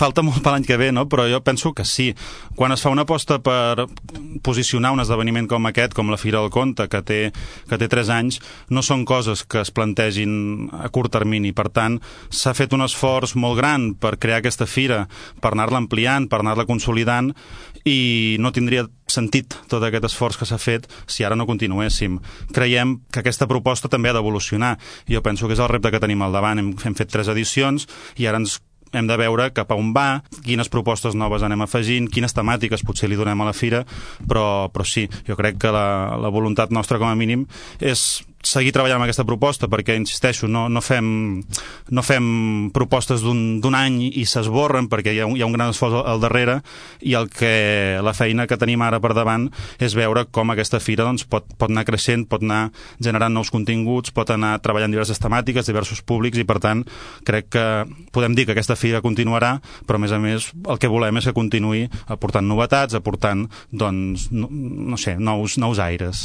falta molt per l'any que ve, no? Però jo penso que sí. Quan es fa una aposta per posicionar un esdeveniment com aquest, com la Fira del Conte, que té 3 anys, no són coses que es plantegin a curt termini. Per tant, s'ha fet un esforç molt gran per crear aquesta fira, per anar-la ampliant, per anar-la consolidant, i no tindria sentit tot aquest esforç que s'ha fet si ara no continuéssim. Creiem que aquesta proposta també ha d'evolucionar. Jo penso que és el repte que tenim al davant. Hem fet 3 edicions i ara hem de veure cap a on va, quines propostes noves anem afegint, quines temàtiques potser li donem a la fira, però sí, jo crec que la voluntat nostra com a mínim és seguir treballant amb aquesta proposta, perquè, insisteixo, no fem propostes d'un any i s'esborren, perquè hi ha un gran esforç al darrere, i la feina que tenim ara per davant és veure com aquesta fira doncs, pot anar creixent, pot anar generant nous continguts, pot anar treballant diverses temàtiques, diversos públics, i per tant crec que podem dir que aquesta fira continuarà, però a més el que volem és que continuï aportant novetats, aportant doncs, no sé, nous aires.